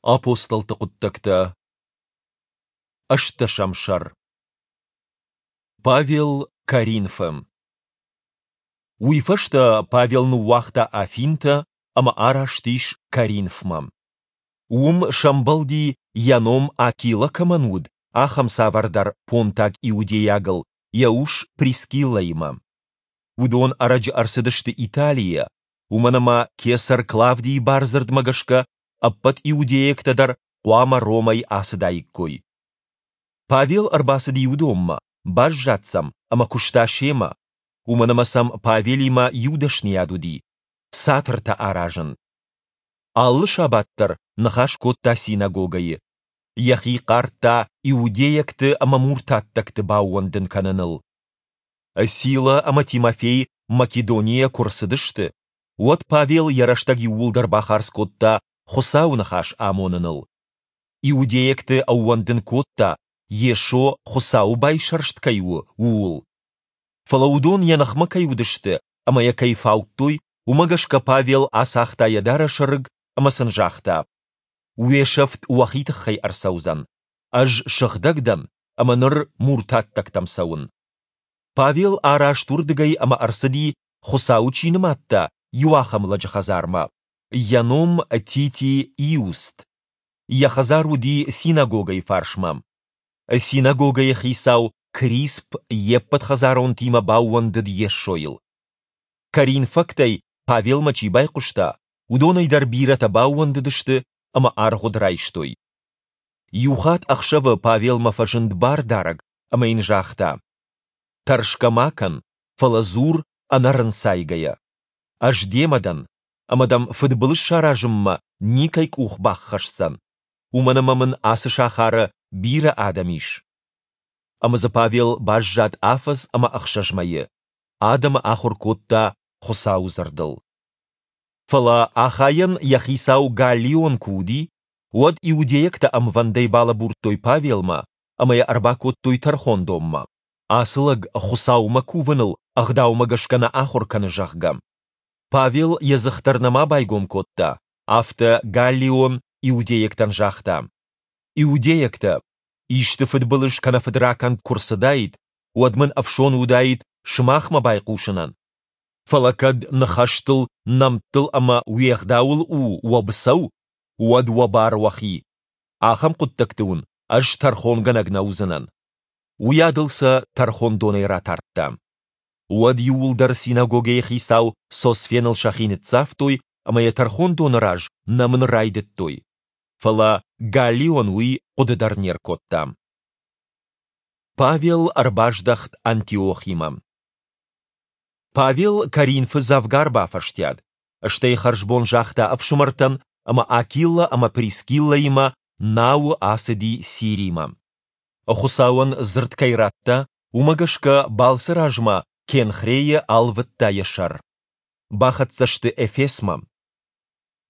Апостолты хъуыддӕгтӕ, ӕстдӕсӕм сӕр. Павел Коринфы. Уый фӕстӕ Павел ныууагъта Афинтӕ ӕмӕ араст ис Коринфмӕ. Уым сӕмбӕлди, йӕ ном Акилӕ кӕмӕн уыд, ахӕм цавӕрдӕр понтаг иудейагыл йӕ ус Прискиллӕимӕ. Уыдон ӕрӕджы ӕрцыдысты Италийӕ, уымӕн ӕмӕ кесӕр Клавдийы бардзырдмӕ гӕсгӕ ӕппӕт иудейӕгтӕ дӕр хъуамӕ Ромӕй ацыдаиккой. Павел ӕрбацыди уыдонмӕ, баззад сӕм ӕмӕ куыста семӕ, уымӕн ӕмӕ сӕм Павелимӕ иу дӕсныйад уыди – цатыртӕ аразын. Алы сабат дӕр ныхас кодта синагогӕйы, йӕхи хъардта иудейӕгты ӕмӕ муртаттӕгты баууӕндын кӕныныл. Сила ӕмӕ Тимофей Македонийӕ куы рцыдысты, уӕд Павел йӕ рӕстӕг иууылдӕр бахардз кодта Хуыцауы ныхас амоныныл. Иудейӕгты ӕууӕндын кодта, Йесо Хуыцауы байсӕрст кӕй у, ууыл. Фӕлӕ уыдон йӕ ныхмӕ кӕй уыдысты ӕмӕ йӕ кӕй фаудтой, уымӕ гӕсгӕ Павел ацагъта йӕ дарӕсы рыг ӕмӕ сын загъта: Уе сӕфт уӕхи тыххӕй ӕрцӕудзӕн. Ӕз сыгъдӕг дӕн ӕмӕ ныр муртаттӕгтӕм цӕуын. Павел араст уырдыгӕй ӕмӕ ӕрцыди, Хуыцауы чи нымадта, иу ахӕм лӕджы хӕдзармӕ. Йӕ ном Тити Иуст. Йӕ хӕдзар уыди синагогӕйы фарсмӕ. Синагогӕйы хицау Крисп йе ппӕт хӕдзаронтимӕ баууӕндыд Йесойыл. Коринфӕгтӕй Павелмӕ чи байхъуыста, уыдонӕй дӕр бирӕтӕ баууӕндыдысты ӕмӕ аргъуыд райстой. Иухатт ӕхсӕвы Павелмӕ фӕзынд бардарӕг ӕмӕ йын загъта: Тӕрсгӕ ма кӕн, фӕлӕ дзур ӕнӕрынцайгӕйӕ. Ӕз демӕ дӕн, ӕмӕ дӕм фыдбылыз саразынмӕ никӕй къух баххӕсдзӕн, уымӕн ӕмӕ мын ацы сахары бирӕ адӕм ис. Ӕмӕ дзы Павел баззад афӕдз ӕмӕ ӕхсӕз мӕйы, адӕмы ахуыр кодта Хуыцауы дзырдыл. Фӕлӕ Ахайӕн йӕ хицау Галлион куы уыди, уӕд иудейӕгтӕ ӕмвӕндӕй балӕбурдтой Павелмӕ ӕмӕ йӕ ӕрбакодтой тӕрхондонмӕ, ацы лӕг Хуыцаумӕ кувыныл ӕгъдаумӕ гӕсгӕ нӕ ахуыр кӕны, зӕгъгӕ. Павел йӕ дзых дӕр нӕма байгом кодта, афтӕ Галлион иудейӕгтӕн загъта: Иудейӕгтӕ, исты фыдбылыз кӕнӕ фыдракӕнд куы рцыдаид, уӕд мын ӕфсон уыдаид сымахмӕ байхъусынӕн. Фӕлӕ кӕд ныхӕстыл, нӕмттыл ӕмӕ уе гъдауыл у уӕ быцӕу, уӕд уӕ бар уӕхи. Ахӕм хъуыддӕгты уын ӕз тӕрхонгӕнӕг нӕ уыдзынӕн. Уыйадыл сӕ тӕрхондонӕй ратардта. Уӕд иууылдӕр синагогӕйы хицау Сосфеныл сӕхи ныццавтой ӕмӕ йӕ тӕрхондоны раз нӕмын райдыдтой. Фӕлӕ Галлион уый хъуыды дӕр не ркодта. Павел ӕрбаздӕхт Антиохимӕ. Павел Коринфы дзӕвгар бафӕстиат, стӕй хӕрзбон загъта ӕфсымӕртӕн ӕмӕ Акилӕ ӕмӕ Прискиллӕимӕ науы ацыди Сиримӕ. Хуыцауӕн дзырд кӕй радта, уымӕ гӕсгӕ балцы размӕ Кенхрейы алвыдта йӕ сӕр. Бахӕццӕ сты Эфесмӕ.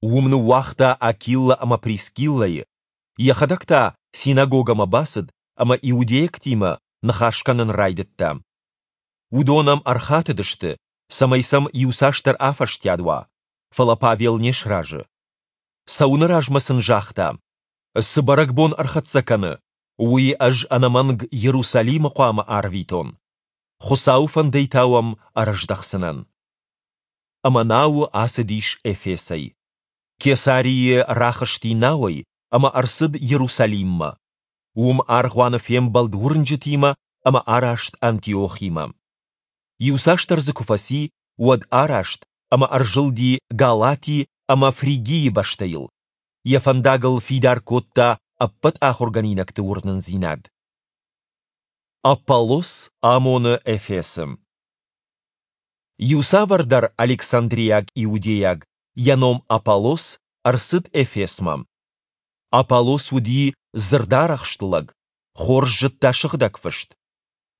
Уым ныууагъта Акилӕ ӕмӕ Прискиллӕйы, йӕхӕдӕг та синагогӕмӕ бацыд ӕмӕ иудейӕгтимӕ ныхас кӕнын райдыдта. Уыдон ӕм ӕрхатыдысты, цӕмӕй сӕм иуцасдӕр афӕстиат уа, фӕлӕ Павел не сразы. Цӕуыны размӕ сын загъта: Цы бӕрӕгбон ӕрхӕццӕ кӕны, уый ӕз ӕнӕмӕнг Иерусалимы хъуамӕ арвитон. Хуыцауы фӕндӕй та уӕм ӕрӕздӕхдзынӕн. Ӕмӕ науы ацыдис Эфесӕй. Кесарийы рахызти науӕй ӕмӕ ӕрцыд Иерусалиммӕ. Уым аргъуаны фембӕлд уырнджытимӕ ӕмӕ араст Антиохимӕ. Иуцасдӕр дзы куы фӕци, уӕд араст ӕмӕ ӕрзылди Галати ӕмӕ Фригийы бӕстӕйыл. Йӕ фӕндагыл фидар кодта ӕппӕт ахуыргӕнинӕгты уырнындзинад. Аполлос амоны Эфесы. Иу цавӕрдӕр александриаг иудейаг, йӕ ном Аполлос, ӕрцыд Эфесмӕ. Аполлос уыди дзырдарӕхст лӕг, хорз зыдта Сыгъдӕг Фыст.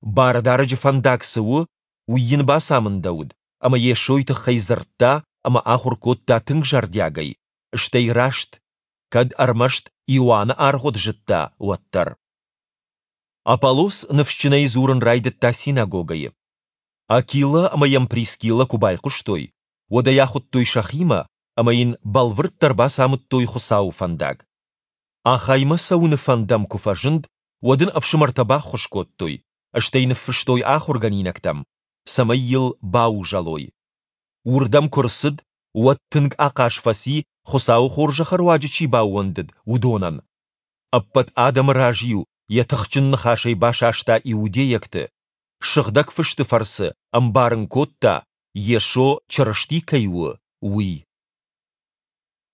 Бардарӕджы фӕндаг цы у, уый йын бацамындӕуыд, ӕмӕ Йесойы тыххӕй дзырдта ӕмӕ ахуыр кодта тынг зӕрдиагӕй, стӕй раст, кӕд ӕрмӕст Иоанны аргъуыд зыдта, уӕддӕр. Аполлос ныфсджынӕй дзурын райдыдта синагогӕйы. Акилӕ ӕмӕ йӕм Прискиллӕ куы байхъуыстой, уӕд ӕй ахуыдтой сӕхимӕ ӕмӕ йын бӕлвырддӕр бацамыдтой Хуыцауы фӕндаг. Ахаймӕ цӕуыны фӕнд ӕм куы фӕзынд, уӕд ын ӕфсымӕртӕ баххуыс кодтой, стӕй ныффыстой ахуыргӕнинӕгтӕм, цӕмӕй йыл баузӕлой. Уырдӕм куы рцыд, уӕд тынг ахъаз фӕци, Хуыцауы хорзӕхы руаджы чи баууӕндыд, уыдонӕн. Ӕппӕт адӕмы раз-иу йӕ тыхджын ныхасӕй басаста иудейӕгты, Сыгъдӕг Фысты фӕрцы ӕмбарын кодта, Йесо Чырысти кӕй у, уый.